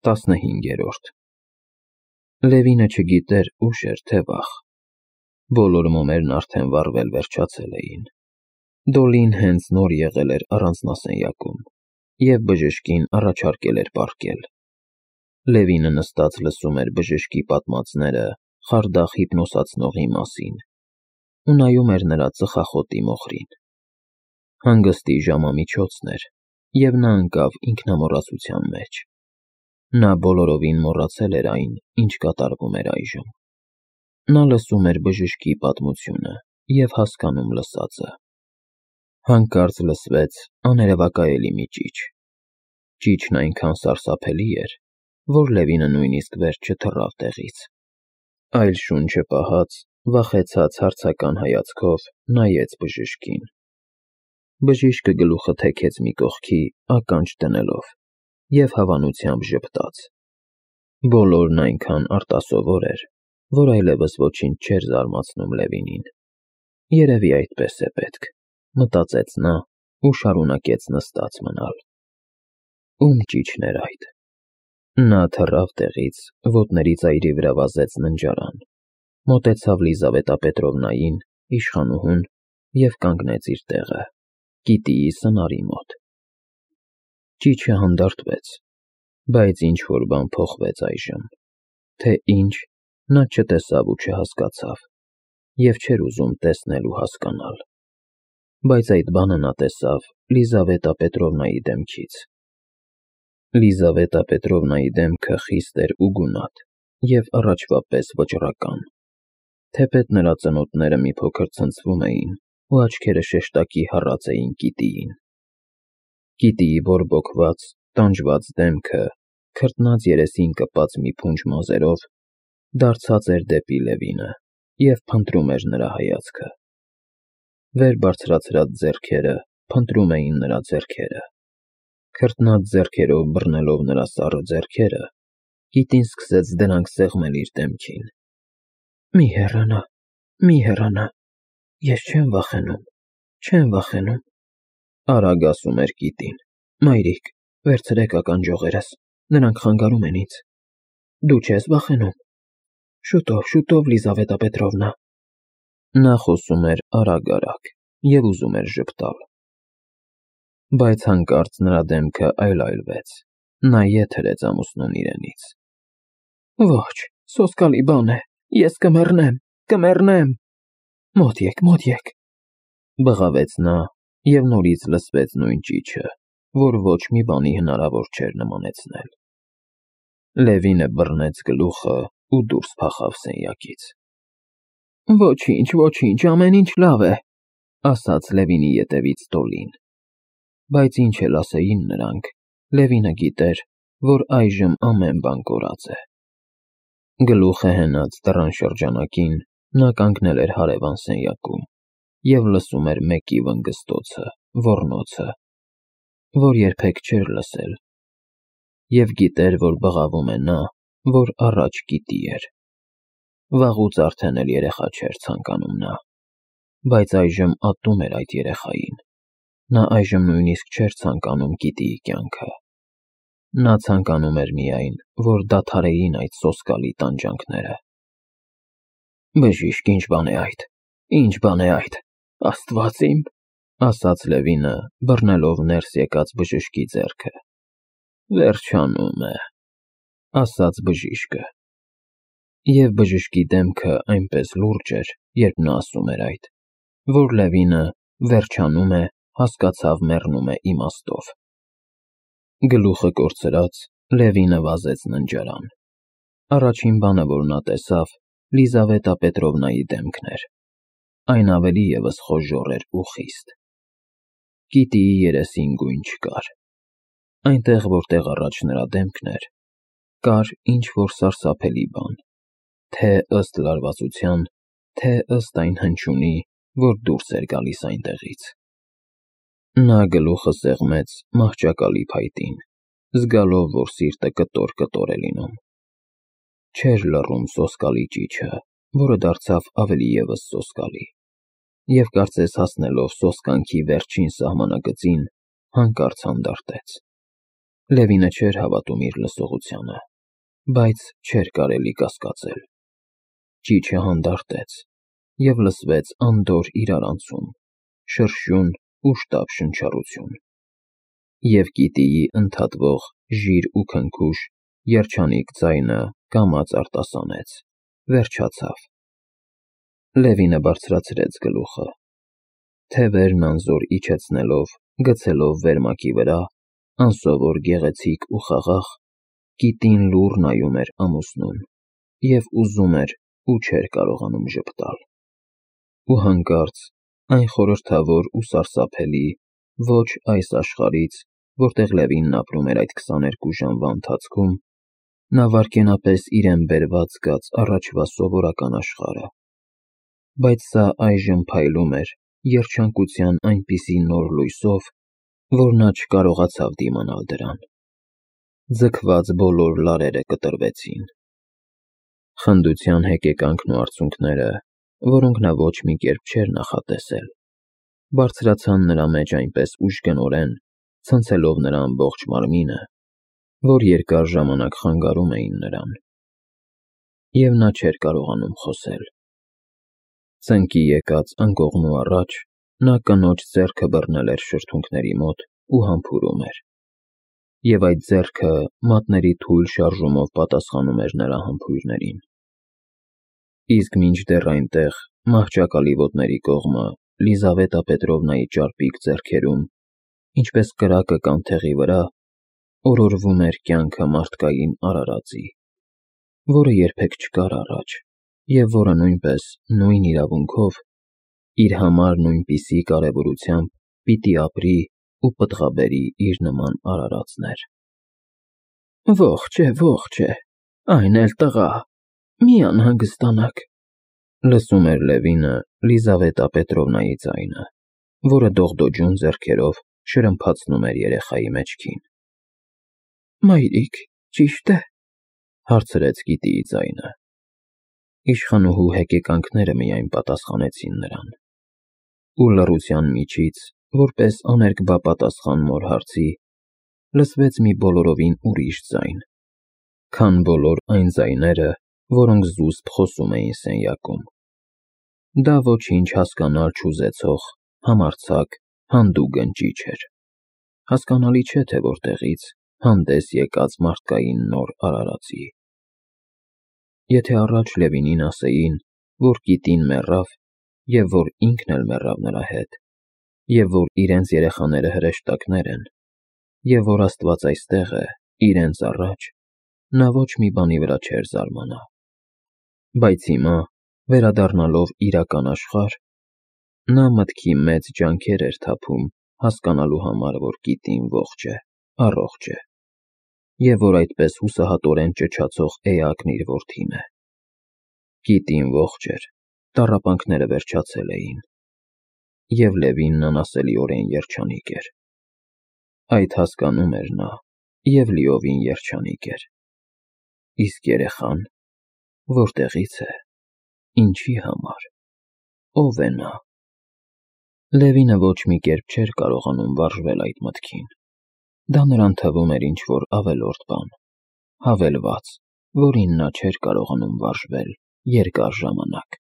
15-րդ Լևինը չգիտեր ուշ էր, թե վաղ։ Բոլոր մոմերն արդեն վառվել վերջացել էին։ Դոլին հենց նոր եղել էր առանձնասենյակում և բժշկին առաջարկել էր պառկել։ Լևինը նստած լսում էր բժշկի պատմածները խարդախ հիպնոսացնողի մասին ու նայում էր նրա ծխախոտի մոխրին։ Հանգստի ժամամիջոցն էր, և նա ընկավ ինքնամոռացության մեջ։ Նա բոլորովին մոռացել էր այն, ինչ կատարվում էր այժմ։ Նա լսում էր բժշկի պատմությունը և հասկանում լսածը։ Հանկարծ լսվեց աներևակայելի մի ճիչ։ Ճիչն այնքան սարսափելի էր, որ Լևինը նույնիսկ վերջ չթռավ տեղից, այլ շունչը պահած, վախեցած հարցական հայացքով նայեց բժշկին։ Բժիշկը գլուխը թեքեց մի կողքի, ականջ դնելով, և հավանությամբ ժպտաց։ Բոլորն այնքան արտասովոր էր, որ այլևս ոչինչ չէր զարմացնում Լևինին։ Երևի այդպես է պետք, մտածեց նա ու շարունակեց նստած մնալ։ Ում ճիչն էր այդ։ Նա թռավ տեղից, ոտների ծայրի վրա վազեց ննջարան, մոտեցավ Լիզավետա Պետրովնային, իշխանուհուն, և կանգնեց իր տեղը, կիտիի սնարի մոտ։ Ճիչը հանդարտվեց, բայց ինչ-որ բան փոխվեց այժմ, թե ինչ, նա չտեսավ ու չհասկացավ, և չէր ուզում տեսնել ու հասկանալ։ Բայց այդ բանը նա տեսավ Լիզավետա Պետրովնայի դեմքից։ Լիզավետա Պետրովնայի դեմքը խիստ էր ու գունատ և առաջվա պես վճռական, թեպետ նրա ծնոտները մի փոքր ցնցվում էին ու աչքերը շեշտակի հառած էին կիտիին։ Կիտիի բորբոքված, տանջված դեմքը, քրտնած երեսին կպած մի փունջ մազերով, դարձած էր դեպի Լևինը և փնտրում էր նրա հայացքը։ Վեր բարձրացրած ձեռքերը փնտրում էին նրա ձեռքերը։ Քրտնած ձեռքերով բռնելով նրա սառը ձեռքերը, կիտին սկսեց դրանք սեղմել իր դեմքին։ Մի հեռանա, մի հեռանա, ես չեմ վախենում, չեմ վախենում, արագ ասում էր կիտին։ Մայրիկ, վերցրեք ականջողերս, նրանք խանգարում են ինձ։ Դու չես վախենում։ Շուտով, Լիզավետա Պետրովնա։ Նա խոսում էր արագ և ուզում էր ժպտալ։ Բայց հանկարծ նրա դեմքը այլայլվեց, նա ետ հրեց ամուսնուն իրենից։ Ոչ, սոսկալի բան է, ես կմեռնեմ։ Մոտ եք, բղավեց նա, և նորից լսվեց նույն ճիչը, որ ոչ մի բանի հնարավոր չէր նմանեցնել։ Լևինը բռնեց գլուխը ու դուրս փախավ սենյակից։ Ոչինչ, ամեն ինչ լավ է, ասաց Լևինի ետևից Դոլին։ Բայց ինչ էլ ասեին նրանք, Լևինը գիտեր, որ այժմ ամեն բան կորած է։ Գլուխը հենած դռան շրջանակին, նա կանգնել էր հարևան սենյակում և լսում էր մեկի վնգստոցը, ոռնոցը, որ երբեք չէր լսել, և գիտեր, որ բղավում է նա, որ առաջ կիտի էր։ Վաղուց արդեն էլ երեխա չէր ցանկանում նա, բայց այժմ ատում էր այդ երեխային։ Նա այժմ նույնիսկ չէր ցանկանում գիտիի կյանքը։ Նա ցանկանում էր միայն, որ դադարեին այդ սոսկալի տանջանքները։ Բժիշկ, ինչ բան է այդ, Աստված իմ, ասաց Լևինը, բռնելով ներս եկած բժշկի ձեռքը։ Վերջանում է, ասաց բժիշկը։ Եվ բժշկի դեմքը այնպես լուրջ էր, երբ նա ասում էր այդ, որ Լևինը վերջանում է, հասկացավ մեռնում է իմաստով։ Գլուխը կորցրած, Լևինը վազեց ննջարան։ Առաջին բանը, որ նա տեսավ, Լիզավետա Պետրովնայի դեմքն էր։ Այն ավելի ևս խոժոռ էր ու խիստ։ Կիտիի երեսին գույն չկար։ Այնտեղ, որտեղ առաջ նրա դեմքն էր, կար ինչ-որ սարսափելի բան, թե ըստ լարվածության, թե ըստ այն հնչյունի, որ դուրս էր գալիս այնտեղից։ Նա գլուխը սեղմեց մահճակալի փայտին, զգալով, որ սիրտը կտոր է լինում։ Չէր լռում սոսկալի ճիչը, որը դարձավ ավելի ևս սոսկալի, և կարծես հասնելով սոսկանքի վերջին սահմանագծին, հանկարծ հանդարտեց։ Լևինը չէր հավատում իր լսողությանը, բայց չէր կարելի կասկածել։ Ճիչը հանդարտեց, և լսվեց անդորր իրարանցում, շրշյուն ու շտապ շնչառություն։ Եվ գիտիի ընդհատվող ժիր ու քնքուշ երջանիկ ձայնը կամաց արտասանեց, վերջացավ։ Լևինը բարձրացրեց գլուխը։ Թևերն անզոր իջեցնելով, գցելով վերմակի վրա, անսովոր գեղեցիկ ու խաղաղ, գիտին լուռ նայում էր ամուսնուն և ուզում էր ու չէր կարողանում ժպտալ։ Ու հանկարծ այն խորհրդավոր ու սարսափելի ոչ այս աշխարհից, որտեղ Լևինն ապրում էր այդ 22 ժամվա ընթացքում, նա վայրկենապես իրեն բերված զգաց առաջվա սովորական աշխարհը, բայց սա այժմ փայլում էր երջանկության այնպիսի նոր լույսով, որ նա չկարողացավ դիմանալ դրան։ Ձգված բոլոր լարերը կտրվեցին։ Խնդության հեկեկանքն ու արցունքները, որոնք նա ոչ մի կերպ չէր նախատեսել, բարձրացան նրա մեջ այնպես ուժգնորեն, ցնցելով նրա ամբողջ մարմինը, որ երկար ժամանակ խանգարում էին նրան։ Եվ նա չէր կարողանում խոսել։ Ծնկի եկած անկողնու առաջ նա կնոջ ձեռքը բռնել էր շրթունքների մոտ ու համբուրում էր, և այդ ձեռքը մատների թույլ շարժումով պատասխանում էր նրա համբույրներին։ Իսկ մինչդեռ այնտեղ, մահճակալի ոտների կողմը, Լիզավետա Պետրովնայի ճարպիկ ձեռքերում, ինչպես կրակը կանթեղի վրա, օրորվում էր կյանքը մարդկային արարածի, որը երբեք չկար առաջ, և որը նույնպես նույն իրավունքով, իր համար նույնպիսի կարևորությամբ պիտի ապրի ու պտղաբերի իր նման արարածներ։ Ողջ է, այն էլ տղա, մի անհանգստանաք, լսում էր Լևինը Լիզավետա Պետրովնայի ձայնը, որը դողդոջուն ձեռքերով շրմփացնում էր երեխայի մեջքին։ Մայրիկ, ճի՞շտ է, հարցրեց գիտիի ձայնը։ Իշխանուհու հեկեկանքները միայն պատասխանեցին նրան։ Ու լռության միջից, որպես աներկբա պատասխան մոր հարցի, լսվեց մի բոլորովին ուրիշ ձայն, քան բոլոր այն ձայները, որոնք զուսպ խոսում էին սենյակում։ Դա ոչինչ հասկանալ չուզեցող, համարձակ, հանդուգն ճիչ էր։ Հասկանալի չէ, թե որտեղից հանդես եկած մարդկային նոր արարածի։ Եթե առաջ Լևինին ասեին, որ կիտին մեռավ, և որ ինքն էլ մեռավ նրա հետ, և որ իրենց երեխաները հրեշտակներ են, և որ Աստված այստեղ է, իրենց առաջ, նա ոչ մի բանի վրա չէր զարմանա։ Բայց հիմա, վերադառնալով իրական աշխարհ, նա մտքի մեծ ջանքեր էր թափում հասկանալու համար, որ կիտին ողջ է, առողջ է, և որ այդպես հուսահատորեն ճչացող էակն իր որդին է։ Կիտին ողջ էր, տառապանքները վերջացել էին, և Լևինն անասելիորեն երջանիկ էր։ Այդ հասկանում էր նա և լիովին երջանիկ էր։ Իսկ երեխան որտեղի՞ց է, ինչի համար, ո՞վ է նա։ Լևինը ոչ մի կերպ չէր կարողանում վարժվել այդ մտքին։ Դա նրան թվում էր ինչ-որ ավելորդ բան, հավելված, որին նա չէր կարողանում վարժվել երկար ժամանակ։